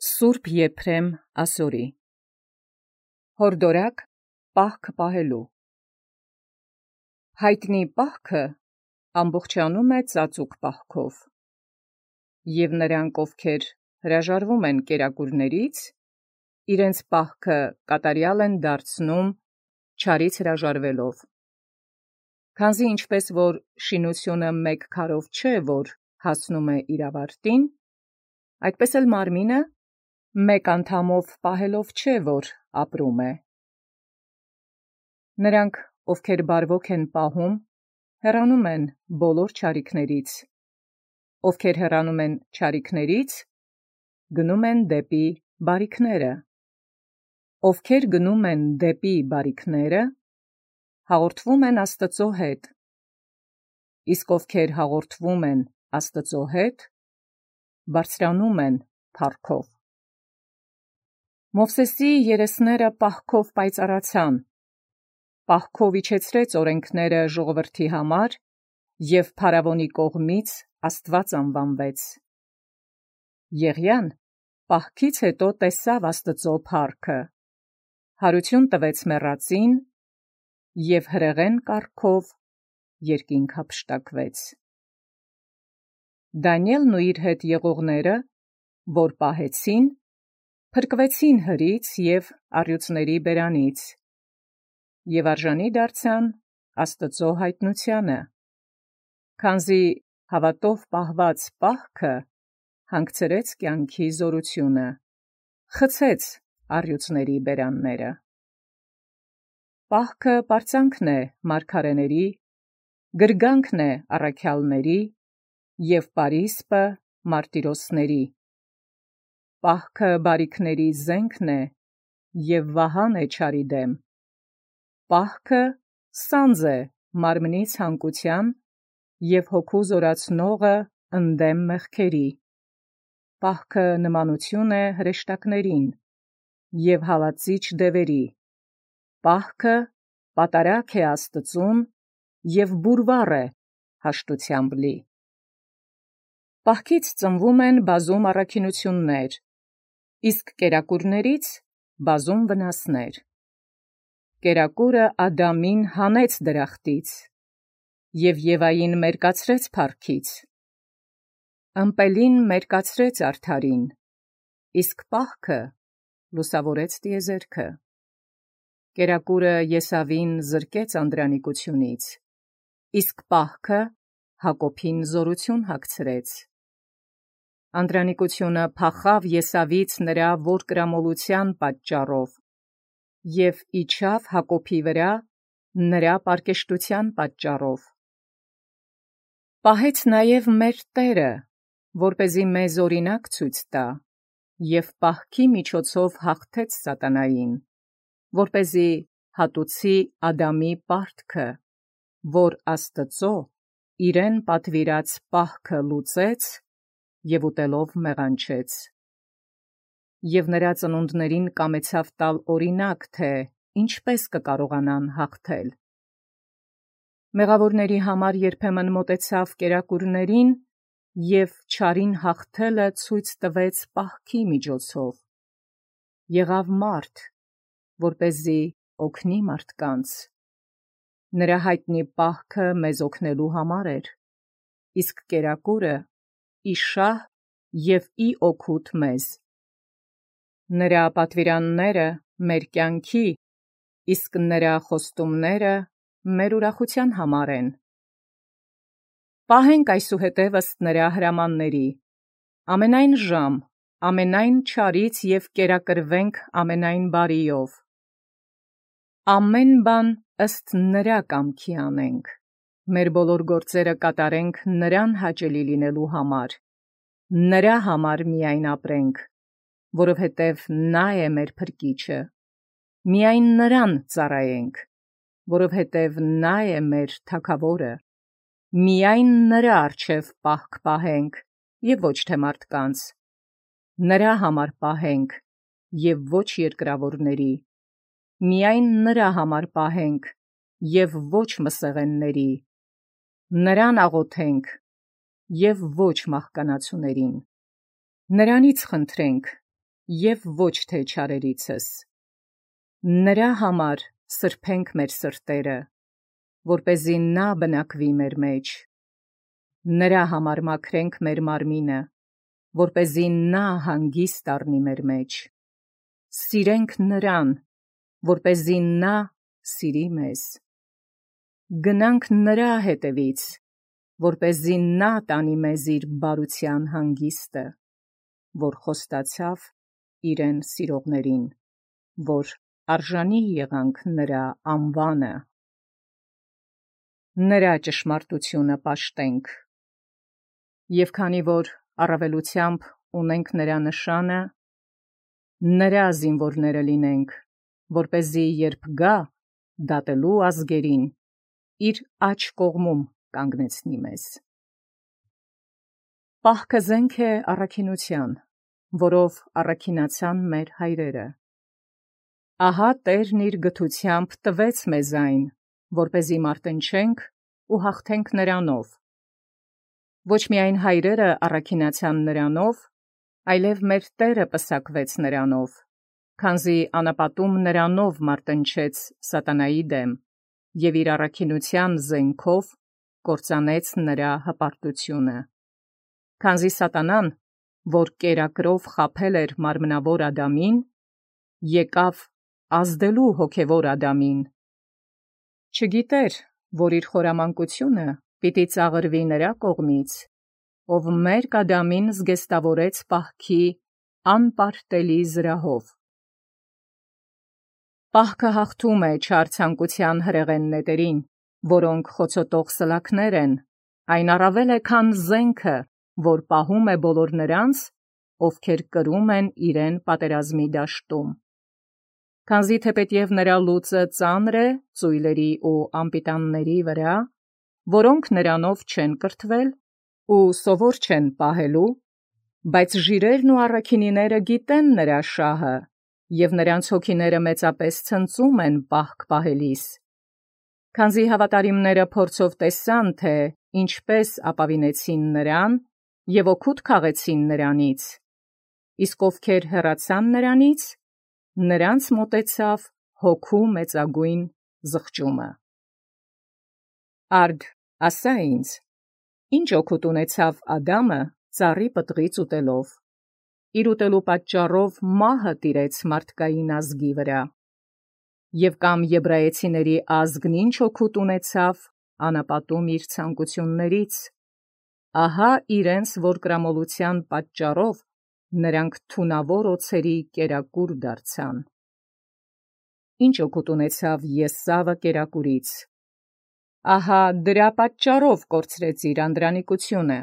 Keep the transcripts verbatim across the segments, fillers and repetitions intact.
Սուրբ Եփրեմ ասորի հորդորակ պահքը պահելու հայտնի պահքը ամբողջանում է ծածուկ պահքով և նրանք ովքեր հրաժարվում են կերակուրներից իրենց պահքը կատարյալ են դարձնում չարից հրաժարվելով քանզի ինչպես որ շինությունը մեկ քարով չէ որ հասնում է իր ավարտին այդպես էլ մարմինը մեկ անդամով պահելով չէ որ ապրում է նրանք ովքեր բարվոք են պահում հեռանում են բոլոր չարիքներից ովքեր հեռանում են չարիքներից գնում են դեպի բարիքները ովքեր գնում են դեպի բարիքները հաղորդվում են Աստծո հետ իսկ ովքեր հաղորդվում են Աստծո հետ բարձրանում են փառքով Մովսեսի երեսները պահքով պայծառացան, պահքով իջեցրեց օրենքները ժողովրդի համար և փարավոնի կողմից Աստված անվանվեց։ Եղիան պահքից հետո տեսավ Աստծո փառքը, հարություն տվեց մեռածին և հրեղեն կառքով երկինք հափշտակվեց։ Դանիելն ու իր հետ եղողները, որ պահեցին, փրկվեցին հրից և առյուծների բերանից և արժանի դարձան Աստծո հայտնությանը, քանզի հավատով պահված պահքը հանգցրեց կյանքի զորությունը, խցեց առյուծների բերանները։ Պահքը պարծանքն է մարգարեների, գրգանքն է առաքյալների և պարիսպը մարտիրոսների։ Պահքը բարիքների զենքն է և վահան է չարի դեմ։ Պահքը սանձ է մարմնի ցանկության և հոգու զորացնողը ընդդեմ մեղքերի։ Պահքը նմանություն է հրեշտակներին և հալածիչ դևերի։ Պահքը պատարագ է Աստծուն և բուրվառ է հաշտությամբ լի։ Պահքից ծնվում են բազում առաքինություններ, իսկ կերակուրներից բազում վնասներ։ Կերակուրը Ադամին հանեց դրախտից և Եվային մերկացրեց փառքից։ Ըմպելին մերկացրեց արդարին, իսկ պահքը լուսավորեց տիեզերքը։ Կերակուրը Եսավին զրկեց անդրանիկությունից, իսկ պահքը Հակոբին զորություն հագցրեց։ Անդրանիկությունը փախավ Եսավից նրա որդկրամոլության պատճառով և իջավ Հակոբի վրա նրա պարկեշտության պատճառով։ Պահեց նաև մեր Տերը, որպեսզի մեզ օրինակ ցույց տա և պահքի միջոցով հաղթեց սատանային, որպեսզի հատուցի Ադամի պարտքը, որ Աստծո իրեն պատվիրած պահքը լուծեց և ուտելով մեղանչեց։ Եվ նրա ծնունդներին կամեցավ տալ օրինակ, թե ինչպես կկարողանան հաղթել։ Մեղավորների համար երբեմն մոտեցավ կերակուրներին և չարին հաղթելը ցույց տվեց պահքի միջոցով։ Եղավ մարդ, որպեսզի օգնի մարդկանց։ Նրա հայտնի պահքը մեզ օգնելու համար էր, իսկ կերակուրը ի շահ և ի օգուտ մեզ։ Նրա պատվիրանները մեր կյանքի, իսկ նրա խոստումները մեր ուրախության համար են։ Պահենք այսուհետև ըստ նրա հրամանների, ամենայն ժամ, ամենայն չարից և կերակրվենք ամենայն բարիով։ Ամեն բան ըստ նրա կամքի անենք, մեր բոլոր գործերը կատարենք նրան հաճելի լինելու համար, նրա համար միայն ապրենք, որովհետև նա է մեր փրկիչը, միայն նրան ծառայենք, որովհետև նա է մեր թագավորը, միայն նրա առջև պահք պահենք և ոչ թե մարդկանց, նրա համար պահենք և ոչ երկրավորների, միայն նրա համար պահենք և ոչ մսեղենների, նրան աղոթենք և ոչ մահկանացուներին։ Նրանից խնդրենք, և ոչ թե չարերիցս։ Նրա համար սրբենք մեր սրտերը, որպեսզի նա բնակվի մեր մեջ։ Նրա համար մաքրենք մեր մարմինը, որպեսզի նա հանգիստ առնի մեր մեջ։ Սիրենք նրան, որպեսզի նա սիրի մեզ։ Գնանք նրա հետևից, որպեսզի նա տանի մեզ իր բարության հանգիստը, որ խոստացավ իրեն սիրողներին, որ արժանի եղանք նրա անվանը։ Նրա ճշմարտությունը պաշտենք։ Եվ քանի որ առավելությամբ ունենք նրա նշանը, նրա զինվորները լինենք, որպեսզի երբ գա դատելու ազգերին, իր աջ կողմում կանգնեցնի մեզ։ Պահքը զենք է առաքինության, որով առաքինացան մեր հայրերը։ Ահա Տերն իր գթությամբ տվեց մեզ այն, որպեսզի մարտնչենք ու հաղթենք նրանով։ Ոչ միայն հայրերը առաքինացան նրանով, այլև մեր Տերը պսակվեց նրանով, քանզի անապատում նրանով մարտնչեց սատանայի դեմ և իր առաքինության զենքով կործանեց նրա հպարտությունը։ Քանզի սատանան, որ կերակրով խաբել էր մարմնավոր Ադամին, եկավ ազդելու հոգևոր Ադամին։ Չգիտեր, որ իր խորամանկությունը պիտի ծաղրվի նրա կողմից, ով մերկ Ադամին զգեստավորեց պահքի անպարտելի զրահով։ Պահքը հաղթում է չար ցանկության հրեղեն նետերին, որոնք խոցոտող սլաքներ են, այն առավել է, քան զենքը, որ պահում է բոլոր նրանց, ովքեր կրում են իրեն պատերազմի դաշտում։ Քանզի թեպետև նրա լուծը ծանր է ծույլերի ու անպիտանների վրա, որոնք նրանով չեն կրթվել ու սովոր չեն պահելու, բայց ժիրերն ու առաքինիները գիտեն նրա շահը, և նրանց հոգիները մեծապես ցնծում են պահք պահելիս։ Քանզի հավատարիմները փորձով տեսան, թե ինչպես ապավինեցին նրան և օգուտ քաղեցին նրանից, իսկ ովքեր հեռացան նրանից, նրանց մոտեցավ հոգու մեծագույն զղջումը։ Արդ ասա ինձ, ինչ օգուտ ունեցավ Ադամը ծառի պտղից ուտելով։ Իր ուտելու պատճառով մահը տիրեց մարդկային ազգի վրա։ Եվ կամ եբրայեցիների ազգն ինչ օգուտ ունեցավ անապատում իր ցանկություններից։ Ահա իրենց որդկրամոլության պատճառով նրանք թունավոր օձերի կերակուր դարձան։ Ինչ օգուտ ունեցավ Եսավը կերակուրից։ Ահա դրա պատճառով կորցրեց իր անդրանիկությունը։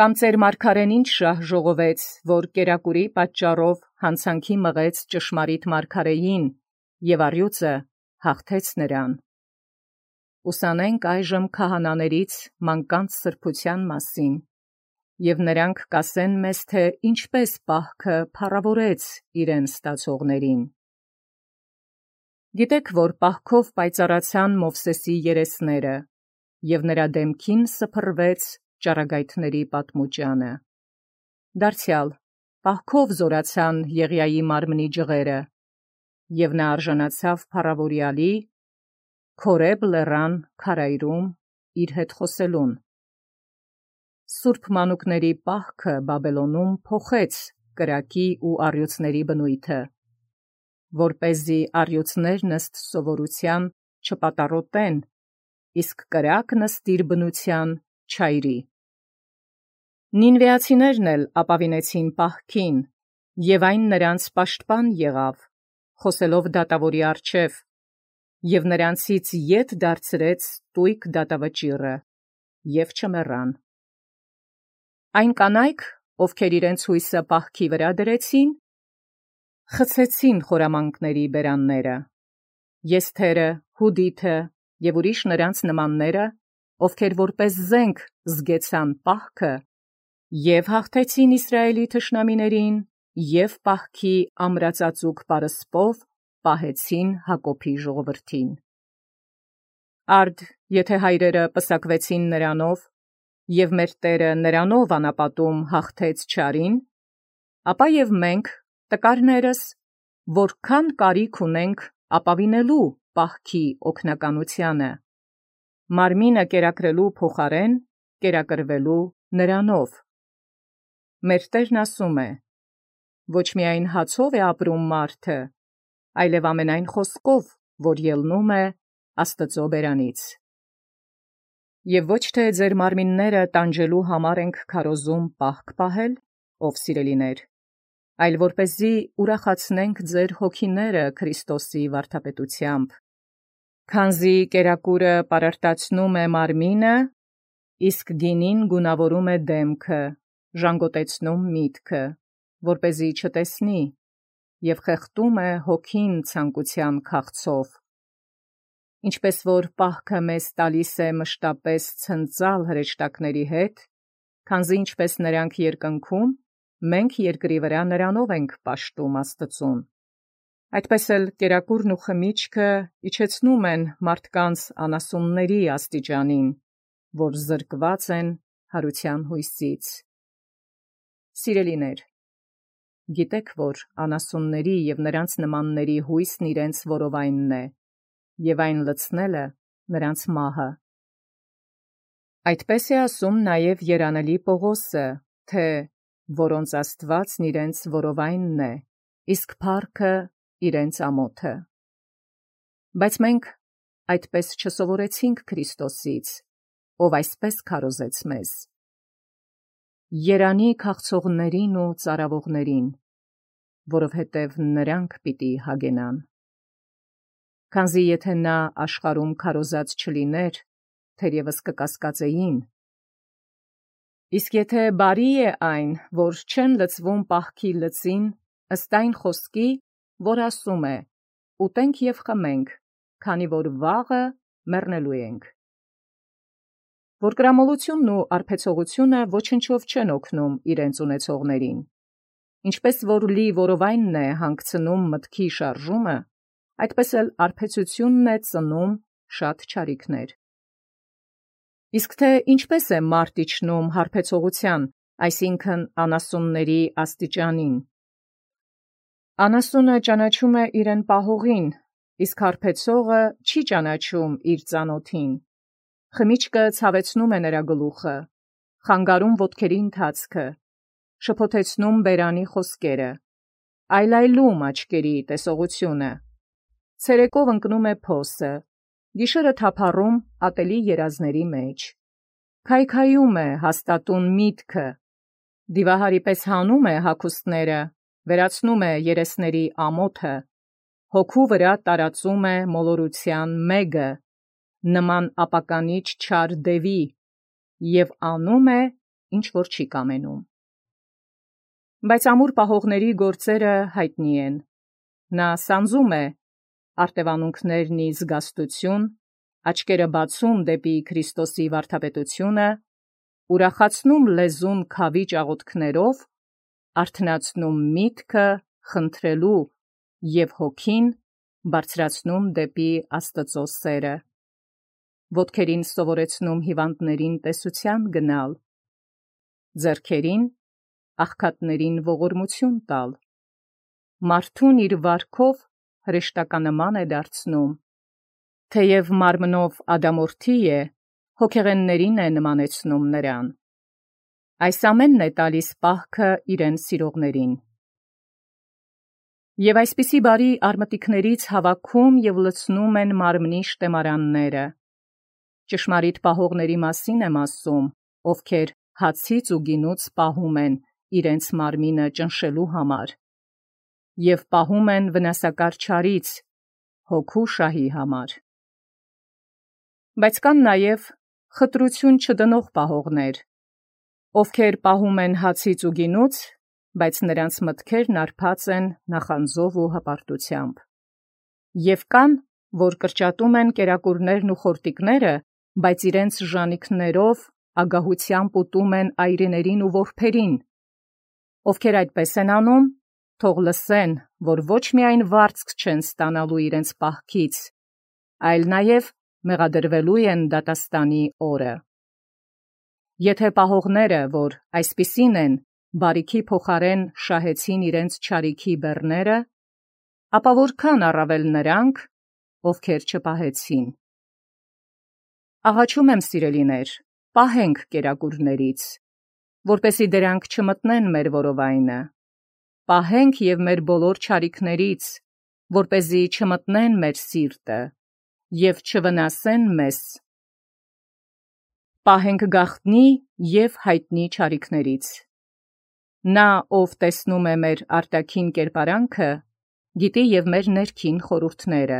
Կամ ծեր մարգարեն ինչ շահ ժողովեց, որ կերակուրի պատճառով հանցանքի մղեց ճշմարիտ մարգարեին և առյուծը հաղթեց նրան։ Ուսանենք այժմ քահանաներից մանկանց սրբության մասին, և նրանք կասեն մեզ, թե ինչպես պահքը փառավորեց իրեն ստացողներին։ Գիտեք, որ պահքով պայծառացան Մովսեսի երեսները, և նրա դեմքին սփռվեց ճառագայթների պատմուճանը։ Դարձյալ պահքով զորացան Եղիայի մարմնի ջղերը, և նա արժանացավ փառավորյալի Քորեբ լեռան քարայրում իր հետ խոսելուն։ Սուրբ մանուկների պահքը Բաբելոնում փոխեց կրակի ու առյուծների բնույթը, որպեսզի առյուծներն ըստ սովորության չպատառոտեն, իսկ կրակն ըստ իր բնության չայրի։ Նինվեացիներն էլ ապավինեցին պահքին, և այն նրանց պաշտպան եղավ, խոսելով դատավորի առջև, և նրանցից ետ դարձրեց տույկ դատավճիռը, և չմեռան։ Այն կանայք, ովքեր իրենց հույսը պահքի վրա դրեցին, խցեցին խորամանկների բերանները։ Եսթերը, Հուդիթը և ուրիշ նրանց նմանները, ովքեր որպես զենք զգեցան պահքը, և հաղթեցին Իսրայելի թշնամիներին, և պահքի ամրածածուկ պարսպով պահեցին Հակոբի ժողովրդին։ Արդ եթե հայրերը պսակվեցին նրանով, և մեր Տերը նրանով անապատում հաղթեց չարին, ապա և մենք տկարներս, որքան կարիք ունենք ապավինելու պահքի օգնականությանը, մարմինը կերակրելու փոխարեն կերակրվելու նրանով։ Մեր Տերն ասում է. ոչ միայն հացով է ապրում մարդը, այլև ամենայն խոսքով, որ ելնում է Աստծո բերանից։ Եվ ոչ թե ձեր մարմինները տանջելու համար ենք քարոզում պահք պահել, ով սիրելիներ, այլ որպեսզի ուրախացնենք ձեր հոգիները Քրիստոսի վարդապետությամբ, քանզի կերակուրը պարարտացնում է մարմինը, իսկ գինին գունավորում է դեմքը, ժանգոտեցնում միտքը, որպեսզի չտեսնի, և խեղդում է հոգին ցանկության քաղցով։ Ինչպես որ պահքը մեզ տալիս է մշտապես ցնծալ հրեշտակների հետ, քանզի ինչպես նրանք երկնքում, մենք երկրի վրա նրանով ենք պաշտում Աստծուն, այդպես էլ կերակուրն ու խմիչքը իջեցնում են մարդկանց անասունների աստիճանին, որ զրկված են հարության հույսից։ Սիրելիներ, գիտեք, որ անասունների և նրանց նմանների հույսն իրենց որովայնն է, և այն լցնելը նրանց մահը։ Այդպես է ասում նաև երանելի Պողոսը, թե որոնց Աստվածն իրենց որովայնն է, իսկ փառքը իրենց ամոթը։ Բայց մենք այդպես չսովորեցինք Քրիստոսից, ով այսպես քարոզեց մեզ. երանի քաղցողներին ու ծարավողներին, որովհետև նրանք պիտի հագենան։ Քանզի եթե նա աշխարհում քարոզած չլիներ, թերևս կկասկածեին։ Իսկ եթե բարի է այն, որ չեն լցվում պահքի լծին, ըստ այն խոսքի, որ ասում է. ուտենք և խմենք, քանի որ վաղը մեռնելու ենք։ Որ կրամոլությունն ու արբեցողությունը ոչնչով չեն օգնում իրենց ունեցողներին, ինչպես որ լի որովայնն է հանգցնում մտքի շարժումը, այդպես էլ արբեցությունն է ծնում շատ չարիքներ։ Իսկ թե ինչպես է մարդ իջնում հարբեցողության, այսինքն անասունների աստիճանին։ Անասունը ճանաչում է իրեն պահողին, իսկ հարբեցողը չի ճանաչում իր ծանոթին։ Խմիչքը ցավեցնում է նրա գլուխը, խանգարում ոտքերի ընթացքը, շփոթեցնում բերանի խոսքերը, այլայլում աչքերի տեսողությունը, ցերեկով ընկնում է փոսը, գիշերը թափառում ատելի երազների մեջ, քայքայում է հաստատուն միտքը, դիվահարի պես հանում է հագուստները, վերացնում է երեսների ամոթը, հոգու վրա տարածում է մոլորության մեգը, նման ապականիչ չար դևի, և անում է, ինչ որ չի կամենում։ Բայց ամուր պահողների գործերը հայտնի են։ Նա սանձում է արտևանունքներն ի զգաստություն, աչքերը բացում դեպի Քրիստոսի վարդապետությունը, ուրախացնում լեզուն քավի աղոթքներով, արթնացնում միտքը խնդրելու և հոգին բարձրացնում դեպի Աստծո սերը, ոտքերին սովորեցնում հիվանդներին տեսության գնալ, ձեռքերին աղքատներին ողորմություն տալ, մարդուն իր վարքով հրեշտականնման է դարձնում, թեև մարմնով ադամորդի է, հոգեղեններին է նմանեցնում նրան։ Այս ամենն է տալիս պահքը իրեն սիրողներին։ Եվ այսպիսի բարի արմատիկներից հավաքում և լցնում են մարմնի շտեմարանները։ Ճշմարիտ պահողների մասին եմ ասում, ովքեր հացից ու գինուց պահում են իրենց մարմինը ճնշելու համար, և պահում են վնասակար չարից, հոգու շահի համար։ Բայց կան նաև խտրություն չդնող պահողներ, ովքեր պահում են հացից ու գինուց, բայց նրանց մտքերն արբած են նախանձով ու հպարտությամբ։ Եվ կան, որ կրճատում են կերակուրներն ու խորտիկները, բայց իրենց ժանիքներով ագահությամբ ուտում են այրիներին ու որբերին։ Ովքեր այդպես են անում, թող լսեն, որ ոչ միայն վարձք չեն ստանալու իրենց պահքից, այլ նաև մեղադրվելու են դատաստանի օրը։ Եթե պահողները, որ այսպիսին են, բարիքի փոխարեն շահեցին իրենց չարիքի բեռները, ապա որքան առավել նրանք, ովքեր չպահեցին։ Աղաչում եմ, սիրելիներ, պահենք կերակուրներից, որպեսզի դրանք չմտնեն մեր որովայնը, պահենք և մեր բոլոր չարիքներից, որպեսզի չմտնեն մեր սիրտը և չվնասեն մեզ։ Պահենք գաղտնի և հայտնի չարիքներից։ Նա, ով տեսնում է մեր արտաքին կերպարանքը, գիտի և մեր ներքին խորհուրդները,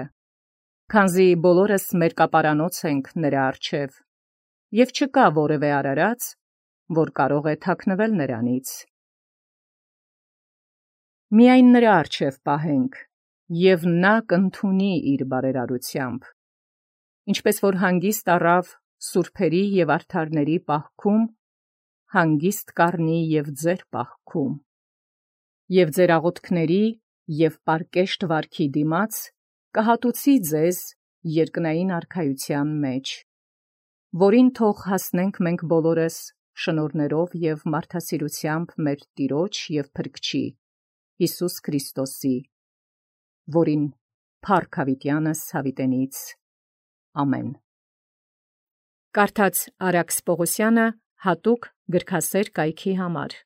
քանզի բոլորս մերկապարանոց ենք նրա առջև, և չկա որևէ արարած, որ կարող է թաքնվել նրանից։ Միայն նրա առջև պահենք, և նա կընդունի իր բարերարությամբ, ինչպես որ հանգիստ առավ սուրբերի և արդարների պահքում, հանգիստ կառնի և ձեր պահքում, և ձեր աղոթքների և պարկեշտ վարքի դիմաց կհատուցի ձեզ երկնային արքայության մեջ, որին թող հասնենք մենք բոլորս շնորհներով և մարդասիրությամբ մեր Տիրոջ և Փրկչի Հիսուս Քրիստոսի, որին փառք հավիտյանս հավիտենից։ Ամեն։ Կարդաց Արաքս Պողոսյանը հատուկ գրքասեր կայքի համար։